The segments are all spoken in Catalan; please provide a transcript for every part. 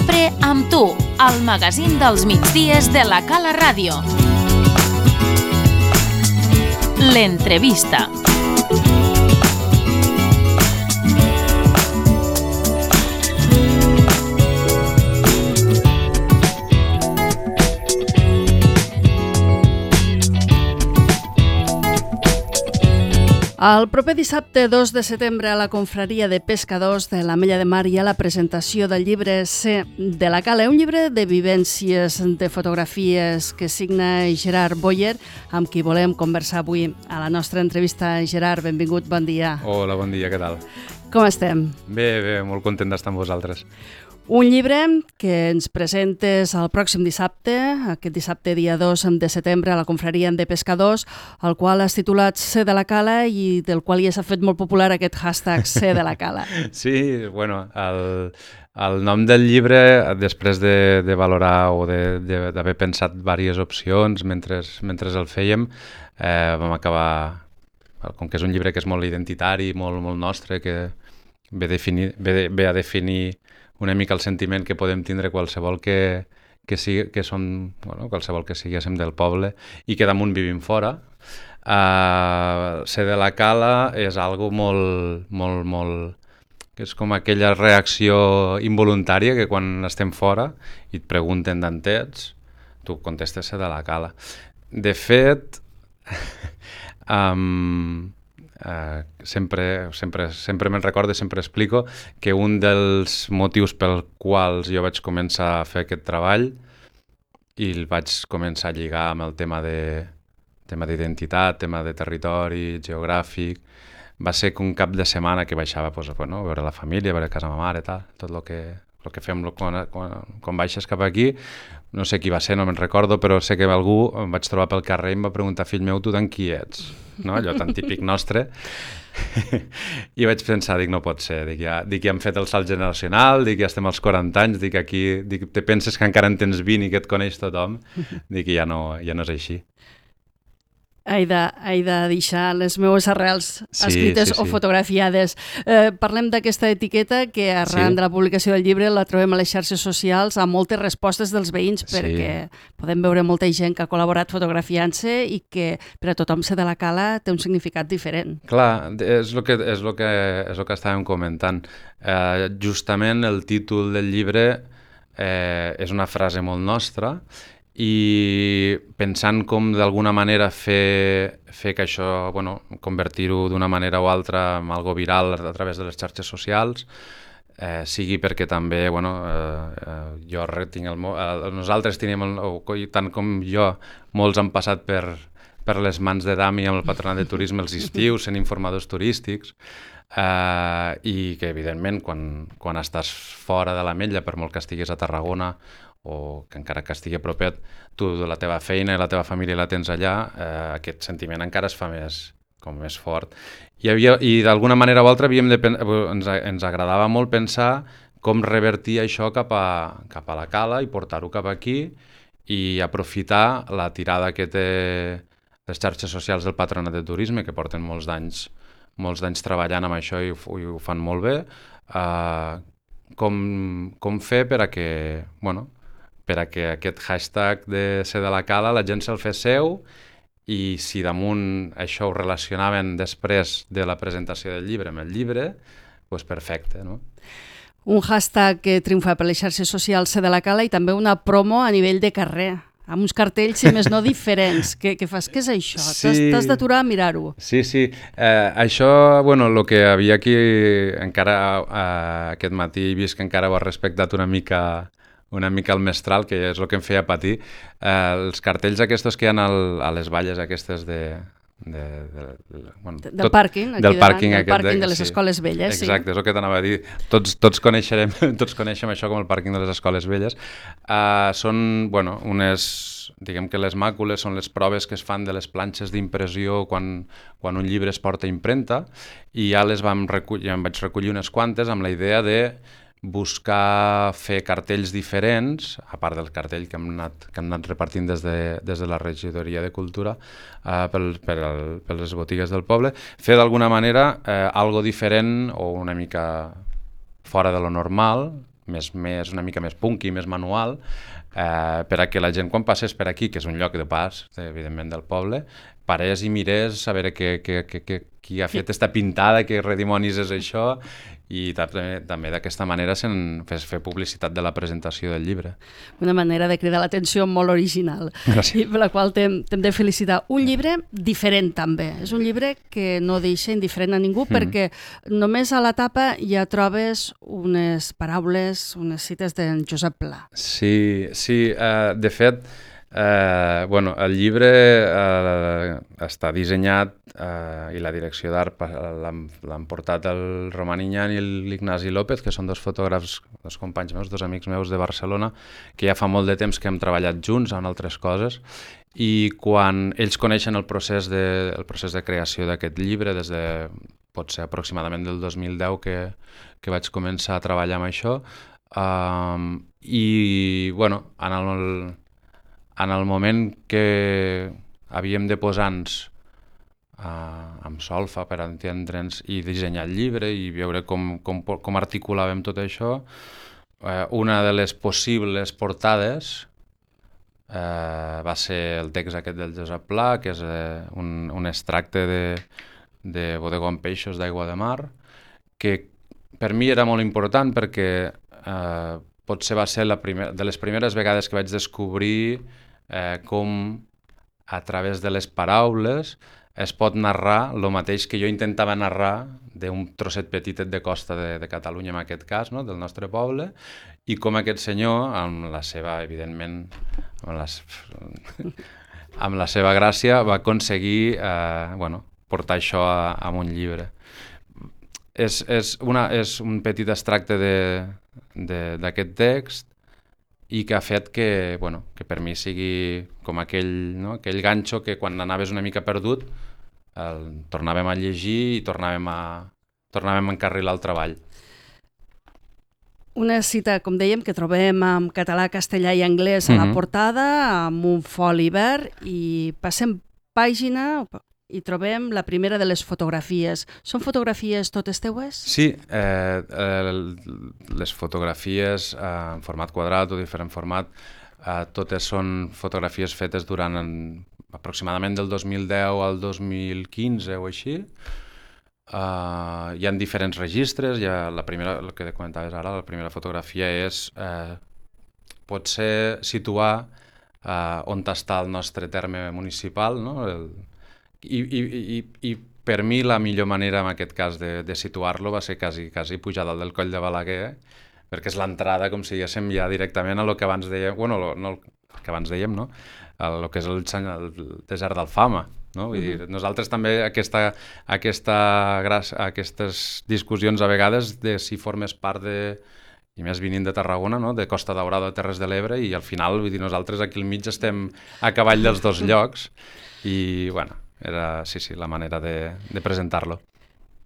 sempre amb tu, al magazín dels migdies de la Cala Ràdio. L'entrevista. El proper dissabte 2 de setembre a la confraria de pescadors de l'Ametlla de Mar hi ha la presentació del llibre C de la Cala, un llibre de vivències, de fotografies que signa Gerard Boyer, amb qui volem conversar avui a la nostra entrevista. Gerard, benvingut, bon dia. Hola, bon dia, què tal? Com estem? Bé, molt content d'estar amb vosaltres. Un llibre que ens presentes el pròxim dissabte, aquest dissabte dia 2 de setembre a la confraria de pescadors, el qual has titulat C de la Cala i del qual ja s'ha fet molt popular aquest hashtag C de la Cala. Sí, bueno, el nom del llibre, després de valorar o d'haver pensat diverses opcions mentre el fèiem, vam acabar, com que és un llibre que és molt identitari, molt nostre, que ve a definir una mica el sentiment que podem tindre qualsevol que siguéssim del poble i que damunt vivim fora. Ser de la Cala és algo molt, que és com aquella reacció involuntària que quan estem fora i et pregunten d'on ets, tu contestes ser de la Cala. De fet, sempre me'n recordo, sempre explico que un dels motius pels quals jo vaig començar a fer aquest treball i el vaig començar a lligar amb el tema d'identitat, tema de territori, geogràfic, va ser que un cap de setmana que baixava a veure la família, a veure casa ma mare, tot el que fem quan baixes cap aquí. No sé qui va ser, no me'n recordo, però sé que algú em vaig trobar pel carrer i em va preguntar: fill meu, tu d'en qui ets? No? Allò tan típic nostre. I vaig pensar, no pot ser, ja hem fet el salt generacional, ja estem als 40 anys, aquí te penses que encara en tens 20 i que et coneix tothom, ja no és així. He de deixar les meves arrels escrites o fotografiades. Parlem d'aquesta etiqueta que arran de la publicació del llibre la trobem a les xarxes socials amb moltes respostes dels veïns, perquè podem veure molta gent que ha col·laborat fotografiant-se i que per a tothom ser de la Cala té un significat diferent. Clar, és el que estàvem comentant. Justament el títol del llibre és una frase molt nostra, i pensant com d'alguna manera fer que això, convertir-ho d'una manera o altra en algo viral a través de les xarxes socials, sigui perquè també, jo tinc nosaltres tenim, tant com jo, molts han passat per les mans de Dami amb el Patronat de Turisme els estius, sent informadors turístics, i que evidentment quan estàs fora de l'Ametlla, per molt que estiguis a Tarragona o que encara que estigui a propet, tu la teva feina i la teva família la tens allà, aquest sentiment encara es fa més fort. I d'alguna manera o altra ens agradava molt pensar com revertir això cap a la Cala i portar-ho cap aquí i aprofitar la tirada que té les xarxes socials del Patronat de Turisme, que porten molts d'anys treballant amb això i ho fan molt bé, com fer per a que aquest hashtag de ser de la Cala la gent se'l fes seu, i si damunt això ho relacionaven després de la presentació del llibre amb el llibre, doncs perfecte, no? Un hashtag que triomfa per les xarxes socials, ser de la Cala, i també una promo a nivell de carrer, amb uns cartells, si més no, diferents. Què fas? Què és això? Sí. T'has d'aturar a mirar-ho. Sí. Això, el que havia aquí, encara aquest matí he vist que encara ho has respectat una mica el mestral, que és el que em feia patir. Els cartells aquests que hi ha a les valles aquestes del pàrquing, del pàrquing de les escoles velles. Exacte, és el que t'anava a dir. Tots coneixem això com el pàrquing de les escoles velles. Són, diguem que les màcules són les proves que es fan de les planxes d'impressió quan un llibre es porta a impremta, i ja em vaig recollir unes quantes amb la idea de buscar fer cartells diferents, a part del cartell que hem anat repartint des de la regidoria de Cultura per les botigues del poble, fer d'alguna manera algo diferent o una mica fora de lo normal, una mica més punky, més manual, per a que la gent quan passés per aquí, que és un lloc de pas, evidentment, del poble, parés i mirés a veure qui ha fet esta pintada, què redimonis és això, i també d'aquesta manera fer publicitat de la presentació del llibre. Una manera de cridar l'atenció molt original. Gràcies. I per la qual t'hem de felicitar. Un llibre diferent també. És un llibre que no deixa indiferent a ningú perquè només a la tapa ja trobes unes paraules, unes cites d'en Josep Pla. Sí, de fet, el llibre està dissenyat i la direcció d'art l'han portat el Roman Iñán i l'Ignasi López, que són dos fotògrafs, dos companys meus, dos amics meus de Barcelona, que ja fa molt de temps que hem treballat junts en altres coses, i quan ells coneixen el procés de creació d'aquest llibre, des de potser aproximadament del 2010 que vaig començar a treballar amb això, en el moment que havíem de posar-nos amb solfa per entendre'ns i dissenyar el llibre i veure com articulàvem tot això, una de les possibles portades va ser el text aquest del Josep Pla, que és un extracte de Bodegó amb peixos d'aigua de mar, que per mi era molt important perquè potser va ser de les primeres vegades que vaig descobrir com a través de les paraules es pot narrar el mateix que jo intentava narrar d'un trosset petitet de costa de Catalunya, en aquest cas, no? Del nostre poble, i com aquest senyor, amb la seva, evidentment, amb la seva gràcia, va aconseguir portar això a un llibre. És un petit extracte d'aquest text i que ha fet que per mi sigui com aquell ganxo que quan anaves una mica perdut el tornàvem a llegir i tornàvem a encarrilar el treball. Una cita, com dèiem, que trobem en català, castellà i anglès a la portada, amb un foli verd, i passem pàgina i trobem la primera de les fotografies. Són fotografies totes teues? Sí, les fotografies en format quadrat o diferent format, totes són fotografies fetes durant aproximadament del 2010 al 2015 o així. Hi ha diferents registres. La primera, el que comentaves ara, la primera fotografia és potser situar on està el nostre terme municipal, no? I per mi la millor manera en aquest cas de situar-lo va ser quasi pujar dalt del Coll de Balaguer, perquè és l'entrada, com si diguéssim, ja directament a lo que abans dèiem, no el que abans dèiem, no? El que és el desert d'Alfama, no? Vull dir, nosaltres també aquestes discussions a vegades de si formes part i més venint de Tarragona, no? De Costa Daurada o Terres de l'Ebre, i al final, vull dir, nosaltres aquí al mig estem a cavall dels dos llocs, i era, sí, la manera de presentar-lo.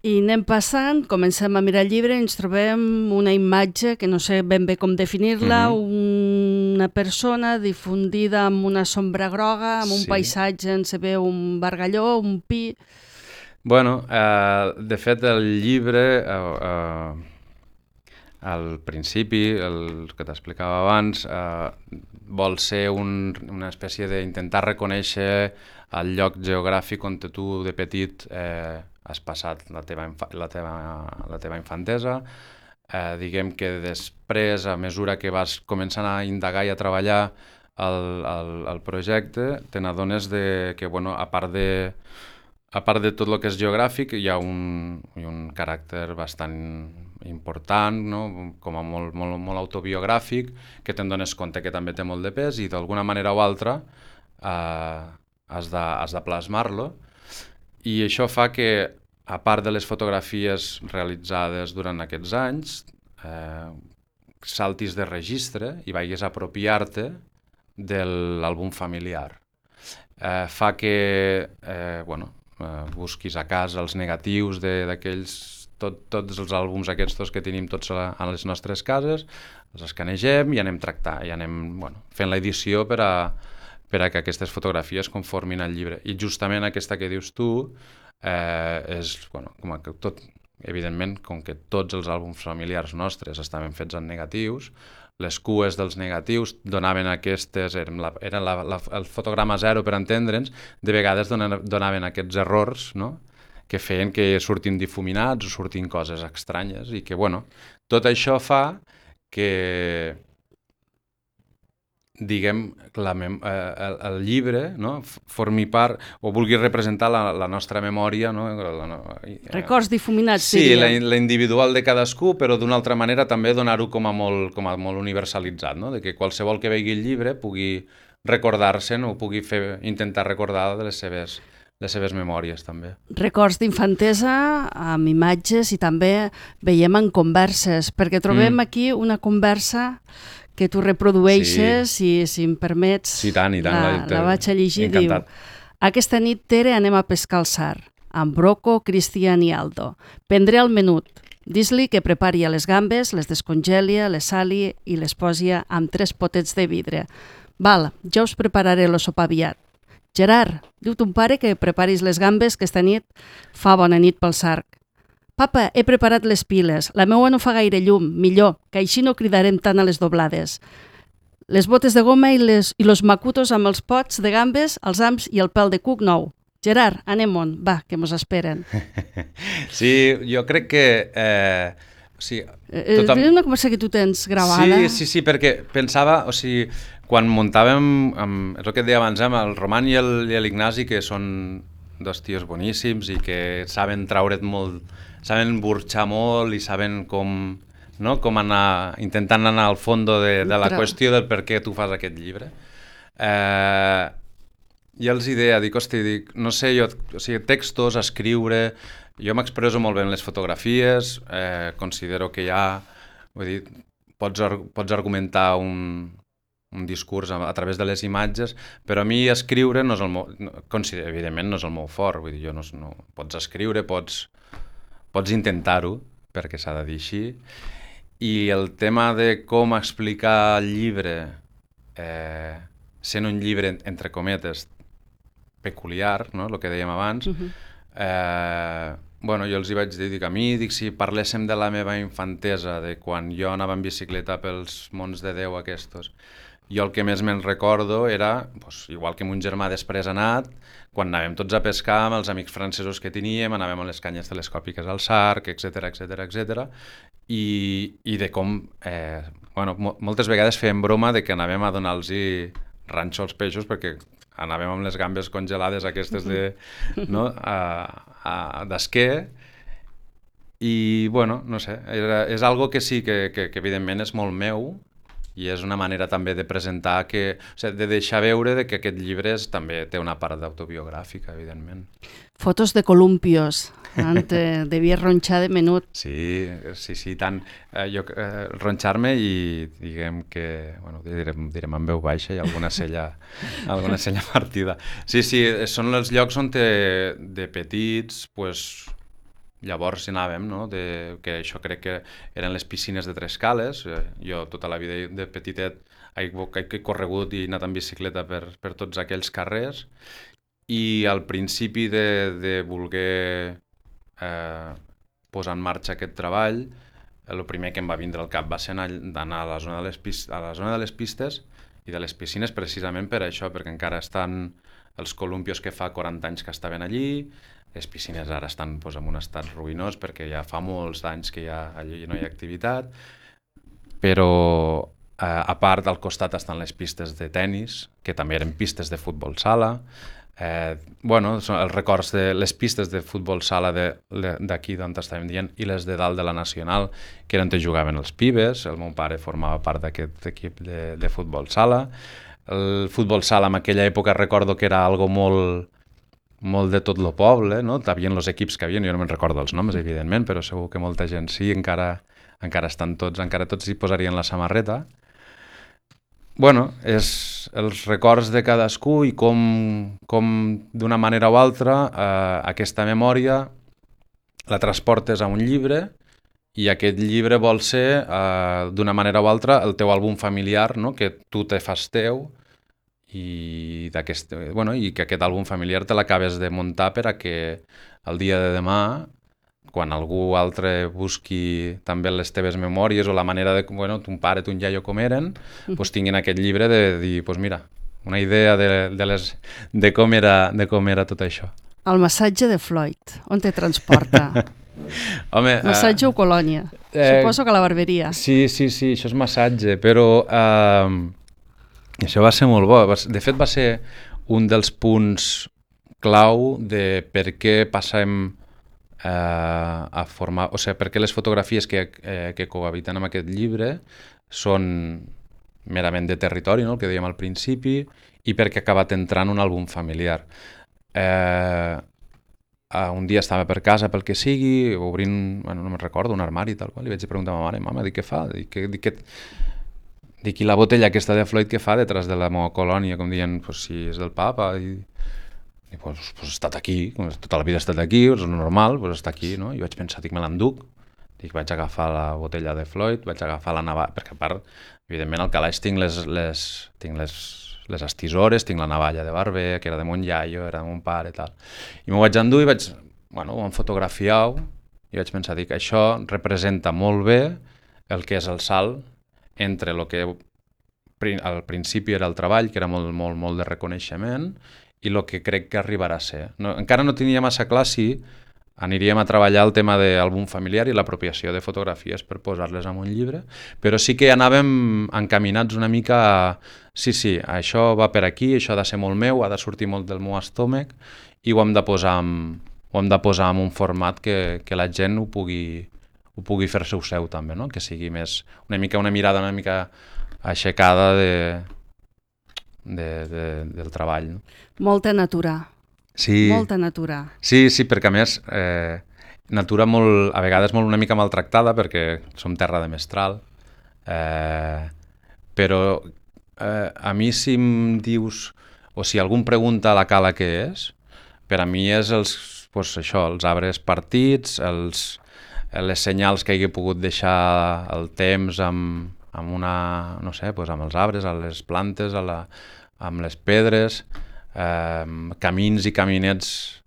I anem passant, comencem a mirar el llibre, ens trobem una imatge que no sé ben bé com definir-la, una persona difundida amb una sombra groga, amb un paisatge on se veu un bargalló, un pi... De fet, el llibre, al principi, el que t'explicava abans, vol ser una espècie d'intentar reconèixer el lloc geogràfic on tu de petit has passat la teva infantesa. Diguem que després, a mesura que vas començant a indagar i a treballar el projecte, te n'adones que, a part de tot el que és geogràfic, hi ha un caràcter bastant important, no? Com a molt autobiogràfic, que te'n dones compte que també té molt de pes i d'alguna manera o altra has de plasmar-lo. I això fa que, a part de les fotografies realitzades durant aquests anys, saltis de registre i vagis a apropiar-te de l'àlbum familiar. Fa que busquis a casa els negatius d'aquells, tots els àlbums aquests que tenim tots a les nostres cases, els escanegem i anem tractant, i anem fent l'edició per a que aquestes fotografies conformin el llibre. I justament aquesta que dius tu és com que evidentment, com que tots els àlbums familiars nostres estaven fets en negatius, les cues dels negatius donaven aquestes, el fotograma zero per entendre'ns, de vegades donaven aquests errors, no?, que feien que surtin difuminats o surtin coses estranyes i que, bueno, tot això fa que, diguem, el llibre, no?, formi part o vulgui representar la nostra memòria, no?, records difuminats, sí, la individual de cadascú, però d'una altra manera també donar-ho com a molt universalitzat, no?, de que qualsevol que vegi el llibre pugui recordar-se'n o pugui intentar recordar de les seves memòries, també. Records d'infantesa amb imatges i també veiem en converses, perquè trobem aquí una conversa que tu reprodueixes i, si em permets, sí, tant, la vaig a llegir. Encantat. Diu: aquesta nit, Tere, anem a pescar al Sar, amb Rocco, Cristian i Aldo. Prendré el menut. Dis-li que prepari les gambes, les descongelia, les sali i les posi amb 3 potets de vidre. Val, ja us prepararé el sopar aviat. Gerard, diu ton pare que preparis les gambes, que esta nit fa bona nit pel Sarc. Papa, he preparat les piles. La meua no fa gaire llum, millor, que així no cridarem tant a les doblades. Les botes de goma i los macutos amb els pots de gambes, els ams i el pèl de cuc nou. Gerard, anem-on, va, que mos esperen. Sí, jo crec que... És una conversa que tu tens gravada. Sí, perquè pensava, quan muntàvem, és el que et deia abans, el Roman i l'Ignasi, que són dos tios boníssims i que saben traure't molt, saben burxar molt i saben com anar, intentant anar al fons de la qüestió del per què tu fas aquest llibre. I els deia, no sé, textos, escriure... Jo m'expresso molt bé en les fotografies, considero que pots argumentar un discurs a través de les imatges, però a mi escriure no és evidentment no és el meu fort, vull dir, pots escriure, pots intentar-ho, perquè s'ha de dir així, i el tema de com explicar el llibre, sent un llibre, entre cometes, peculiar, no?, el que dèiem abans, jo els hi vaig dir, a mi, si parléssim de la meva infantesa, de quan jo anava en bicicleta pels mons de Déu aquests, jo el que més me'n recordo era, igual que mon germà després ha anat, quan anàvem tots a pescar amb els amics francesos que teníem, anàvem a les canyes telescòpiques al Sarc, etc. I de com, moltes vegades fèiem broma de que anàvem a donar-los ranxo als peixos perquè anàvem amb les gambes congelades aquestes d'esquer i, no sé, és algo que sí que evidentment és molt meu i és una manera també de presentar, de deixar veure que aquest llibre també té una part d'autobiogràfica, evidentment. Fotos de columpios, devia ronxar de menut. Sí, tant. Jo ronxar-me i diguem que, direm en veu baixa i alguna cella partida. Sí, són els llocs on de petits, llavors hi anàvem, que això crec que eren les piscines de Tres Cales. Jo tota la vida de petitet he corregut i anat en bicicleta per tots aquells carrers i al principi de voler posar en marxa aquest treball, el primer que em va vindre al cap va ser d'anar a la zona de les pistes i de les piscines precisament per això, perquè encara estan els columpios que fa 40 anys que estaven allí. Les piscines ara estan en un estat ruïnós perquè ja fa molts anys que allí no hi ha activitat, però a part al costat estan les pistes de tennis, que també eren pistes de futbol sala. Són els records de les pistes de futbol sala d'aquí d'on estàvem dient i les de dalt de la Nacional, que era on jugaven els pibes. El meu pare formava part d'aquest equip de futbol sala. El futbol sala en aquella època recordo que era algo molt de tot el poble, no? Hi havia els equips que havien, jo no me'n recordo els noms, evidentment, però segur que molta gent sí, encara estan tots, encara tots hi posarien la samarreta. És els records de cadascú i com d'una manera o altra aquesta memòria la transportes a un llibre i aquest llibre vol ser, d'una manera o altra, el teu àlbum familiar, no? Que tu te fas teu i que aquest àlbum familiar te l'acabes de muntar per a que el dia de demà quan algú altre busqui també les teves memòries o la manera de, bueno, ton pare, ton iaio com eren, doncs tinguin aquest llibre de dir, doncs mira, una idea de com era tot això. El massatge de Floyd, on te transporta? Home, massatge o colònia? Suposo que a la barberia. Sí, això és massatge, però això va ser molt bo. De fet, va ser un dels punts clau de per què passem a formar... O sigui, per què les fotografies que cohabiten amb aquest llibre són merament de territori, no? El que dèiem al principi, i perquè ha acabat entrant un àlbum familiar. Un dia estava per casa, pel que sigui, obrint, bueno, no me'n recordo, un armari i tal qual, li vaig preguntar a ma mare, mama, què fa? Dic, i la botella aquesta de Floyd què fa detrás de la meva colònia? Com dient, pues, si és del papa, i pues ha estat aquí, tota la vida ha estat aquí, és normal, pues està aquí, no? I vaig pensar, me l'enduc, vaig agafar la botella de Floyd, vaig agafar la navalla, perquè a part, evidentment, al calaix tinc les estisores, tinc la navalla de barber, que era de mon iaio, era de mon pare i tal. I m'ho vaig endur i ho vam fotografiar i vaig pensar, això representa molt bé el que és el salt entre el que al principi era el treball, que era molt de reconeixement, i el que crec que arribarà a ser. Encara no tenia massa clar si aniríem a treballar el tema d'àlbum familiar i l'apropiació de fotografies per posar-les en un llibre, però sí que anàvem encaminats una mica a sí, això va per aquí, això ha de ser molt meu, ha de sortir molt del meu estómac i ho hem de posar en un format que la gent ho pugui fer-se seu també, no? Que sigui més una mirada una mica aixecada del treball. No? Molta natura. Sí. Molta natura. Sí, perquè a més natura a vegades molt una mica maltractada perquè som terra de mestral, però a mi si em dius o si algú em pregunta a la cala què és, per a mi és els arbres partits, les senyals que hagi pogut deixar el temps amb els arbres, amb les plantes, amb les pedres, camins i caminets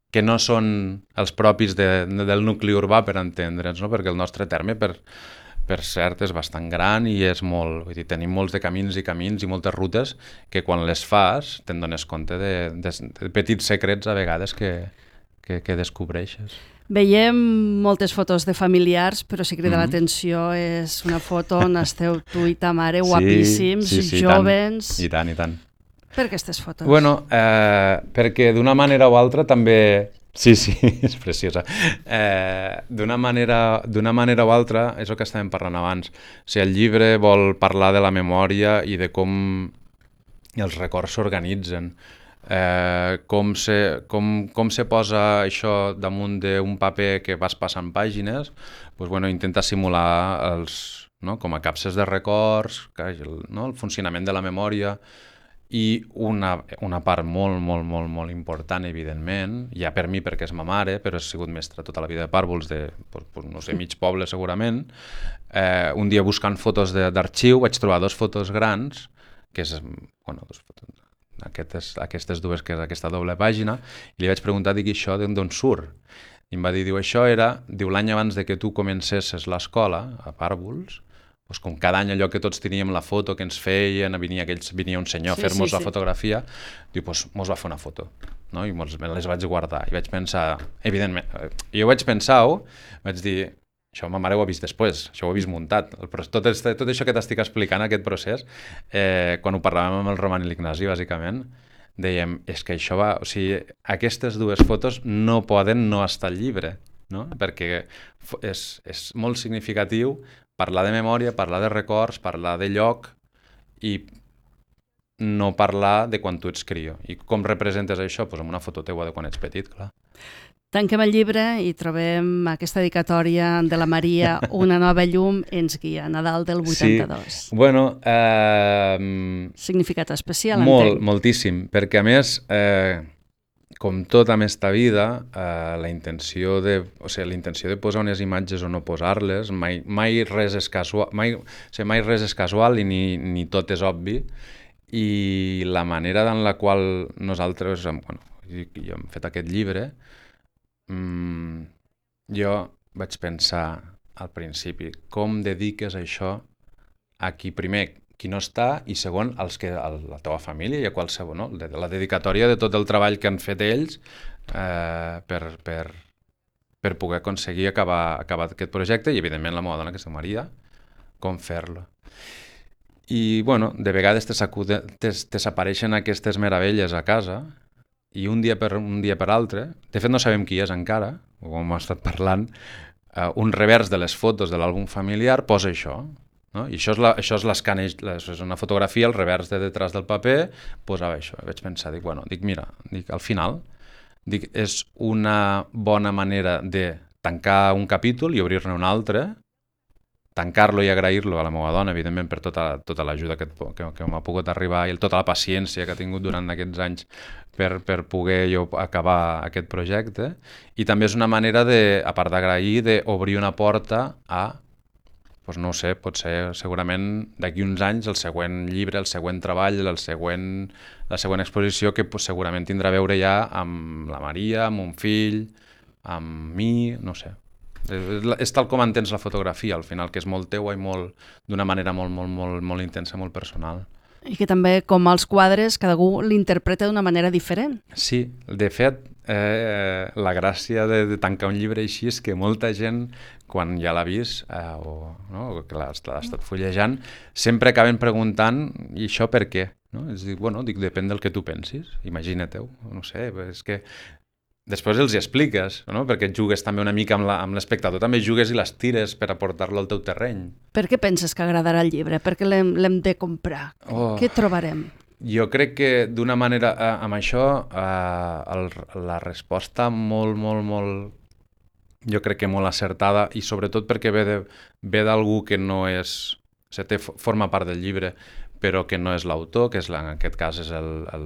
que no són els propis del nucli urbà, per entendre'ns, no? Perquè el nostre terme, per cert, és bastant gran i és molt... Vull dir, tenim molts de camins i moltes rutes que quan les fas te'n dones compte de petits secrets a vegades que descobreixes. Veiem moltes fotos de familiars, però si crida l'atenció és una foto on esteu tu i ta mare guapíssims, jovens... I tant. Per aquestes fotos? Bueno, perquè d'una manera o altra també... Sí, és preciosa. D'una manera o altra, és el que estàvem parlant abans. O sigui, el llibre vol parlar de la memòria i de com els records s'organitzen. Com se posa això damunt d'un paper que vas passant pàgines, doncs, intenta simular com a capses de records, el funcionament de la memòria, i una part molt important, evidentment, ja per mi perquè és ma mare, però he sigut mestra tota la vida de pàrvuls, mig poble segurament. Un dia buscant fotos d'arxiu vaig trobar 2 fotos grans, que és, aquestes dues, que és aquesta doble pàgina, i li vaig preguntar, això d'on surt? I em va dir, això era, l'any abans de que tu comencessis l'escola, a Pàrvuls, com cada any allò que tots teníem la foto que ens feien, venia un senyor a fer-nos la fotografia, diu, mos va fer una foto, no? I me les vaig guardar. I vaig pensar, evidentment, vaig dir, això ma mare ho ha vist després, això ho ha vist muntat. Tot això que t'estic explicant, aquest procés, quan ho parlàvem amb el Roman i l'Ignasi, bàsicament, dèiem, és que això va... O sigui, aquestes 2 fotos no poden no estar al llibre, no? Perquè és molt significatiu parlar de memòria, parlar de records, parlar de lloc i no parlar de quan tu ets crio. I com representes això? Doncs amb una foto teua de quan ets petit, clar. Tanquem el llibre i trobem aquesta dedicatòria de la Maria, Una nova llum ens guia, Nadal del 82. Sí, bueno... Significat especial, entenc. Moltíssim, perquè a més... com tot en esta vida, la intenció de posar unes imatges o no posar-les, mai res és casual i ni tot és obvi, i la manera en la qual nosaltres hem fet aquest llibre, Jo vaig pensar al principi, com dediques això a qui primer, qui no està, i segon, a la teva família i a qualsevol, no? La dedicatòria de tot el treball que han fet ells per poder aconseguir acabar aquest projecte, i evidentment la meva dona, que es diu Maria, com fer-lo. I, bueno, de vegades t'apareixen aquestes meravelles a casa, i un dia per altre, de fet no sabem qui és encara, o com hem estat parlant, un revers de les fotos de l'àlbum familiar posa això, no? I això és l'escaneix, és una fotografia, el revers de detrás del paper posava això. I vaig pensar, mira, al final és una bona manera de tancar un capítol i obrir-ne un altre, tancar-lo i agrair-lo a la meva dona, evidentment, per tota l'ajuda que m'ha pogut arribar i tota la paciència que ha tingut durant aquests anys per poder jo acabar aquest projecte. I també és una manera, a part d'agrair, d'obrir una porta a, doncs no ho sé, pot ser segurament d'aquí uns anys el següent llibre, el següent treball, la següent exposició, que segurament tindrà a veure ja amb la Maria, amb un fill, amb mi, no sé. És tal com entens la fotografia, al final, que és molt teua i d'una manera molt intensa, molt personal. I que també, com els quadres, cada un l'interpreta d'una manera diferent. Sí, de fet, la gràcia de tancar un llibre així és que molta gent, quan ja l'ha vist o que l'ha estat fullejant, sempre acaben preguntant, i això per què? No? És dir, depèn del que tu pensis, imagina-t'ho, no sé, és que després els hi expliques, no? Perquè jugues també una mica amb l'espectador, també jugues i les tires per aportar-lo al teu terreny. Per què penses que agradarà el llibre? Per què l'hem de comprar? Què trobarem? Jo crec que d'una manera, amb això, la resposta molt, jo crec que molt acertada, i sobretot perquè ve d'algú que no és, forma part del llibre, però que no és l'autor, que en aquest cas és el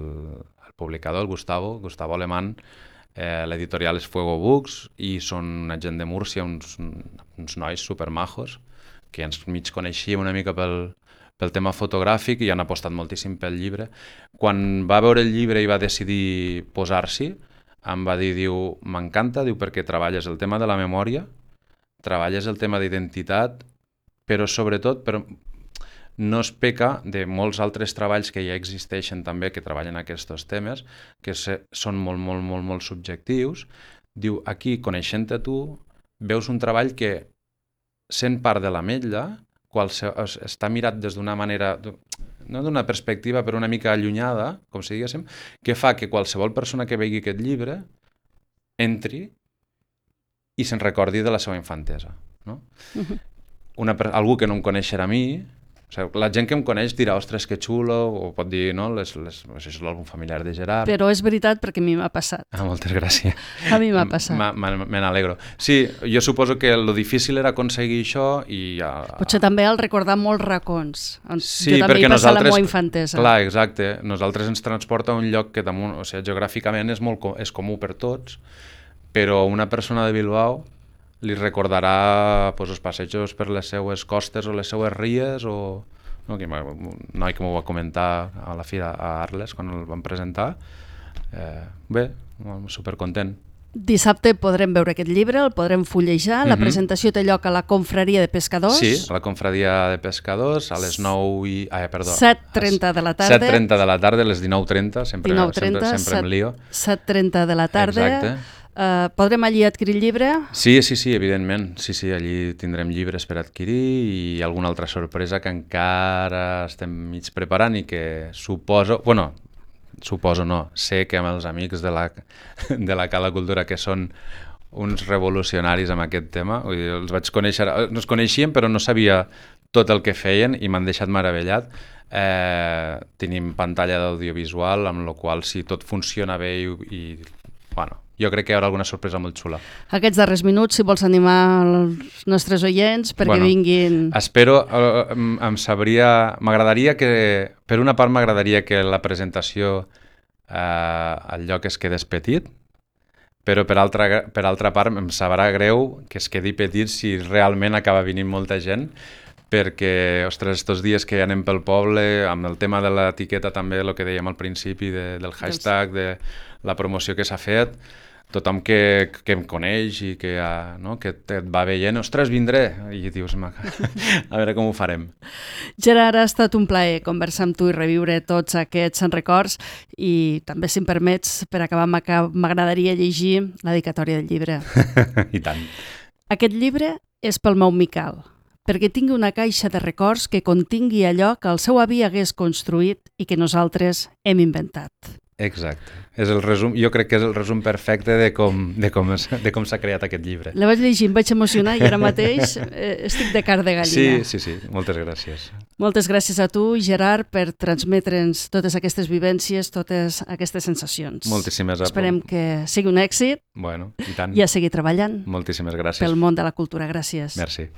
publicador, el Gustavo Alemán. L'editorial és Fuego Books i són una gent de Múrcia, uns nois supermajos que ens mig coneixíem una mica pel tema fotogràfic i han apostat moltíssim pel llibre. Quan va veure el llibre i va decidir posar-s'hi, em va dir, m'encanta, perquè treballes el tema de la memòria, treballes el tema d'identitat, però sobretot no es peca de molts altres treballs que ja existeixen també, que treballen aquests temes, que són molt subjectius. Diu, aquí, coneixent-te tu, veus un treball que, sent part de l'ametlla, està mirat des d'una manera, no d'una perspectiva, però una mica allunyada, com si diguéssim, que fa que qualsevol persona que vegi aquest llibre entri i se'n recordi de la seva infantesa. No? Algú que no em coneixerà a mi, la gent que em coneix dirà, ostres, que xulo, o pot dir, no, això és l'àlbum familiar de Gerard. Però és veritat, perquè a mi m'ha passat. Moltes gràcies. A mi m'ha passat. Me n'alegro. Sí, jo suposo que lo difícil era aconseguir això i... Potser també el recordar molts racons. Sí, jo també hi passat la meva infantesa. Clar, exacte. Nosaltres ens transporta a un lloc que damunt, geogràficament és comú per tots, però una persona de Bilbao li recordarà els passejos per les seues costes o les seues ries, o un noi que m'ho va comentar a la fira a Arles quan el vam presentar. Bé, supercontent. Dissabte podrem veure aquest llibre, el podrem fullejar. La presentació té lloc a la Confraria de Pescadors. Sí, a la Confraria de Pescadors, a les 7:30 de la tarda. 7:30 de la tarda, a les 19:30, sempre em lío. 7:30 de la tarda. Exacte. Podrem allí adquirir el llibre? Sí, evidentment. Sí, allí tindrem llibres per adquirir i alguna altra sorpresa que encara estem mig preparant i que sé que amb els amics de la Cala Cultura, que són uns revolucionaris amb aquest tema, vull dir, els vaig conèixer, no els coneixíem però no sabia tot el que feien i m'han deixat meravellat. Tenim pantalla d'audiovisual, amb la qual si tot funciona bé i jo crec que hi haurà alguna sorpresa molt xula. Aquests darrers minuts, si vols animar els nostres oients perquè vinguin... Espero, m'agradaria que, per una part m'agradaria que la presentació el lloc es quedés petit, però per altra part em sabrà greu que es quedi petit si realment acaba venint molta gent, perquè, ostres, estos dies que anem pel poble, amb el tema de l'etiqueta també, el que dèiem al principi del hashtag, de la promoció que s'ha fet, tothom que em coneix i que et va veient, ostres, vindré, i dius, a veure com ho farem. Gerard, ha estat un plaer conversar amb tu i reviure tots aquests records i també, si em permets, per acabar, m'agradaria llegir la dedicatòria del llibre. I tant. Aquest llibre és pel meu Miquel, perquè tingui una caixa de records que contingui allò que el seu avi hagués construït i que nosaltres hem inventat. Exacte. És el resum, jo crec que és el resum perfecte de com s'ha creat aquest llibre. La vaig llegir, em vaig emocionar i ara mateix estic de car de gallina. Sí. Moltes gràcies. Moltes gràcies a tu, Gerard, per transmetre'ns totes aquestes vivències, totes aquestes sensacions. Moltíssimes gràcies. Esperem que sigui un èxit. Bueno, i tant. I a seguir treballant. Moltíssimes gràcies. Pel món de la cultura. Gràcies. Merci.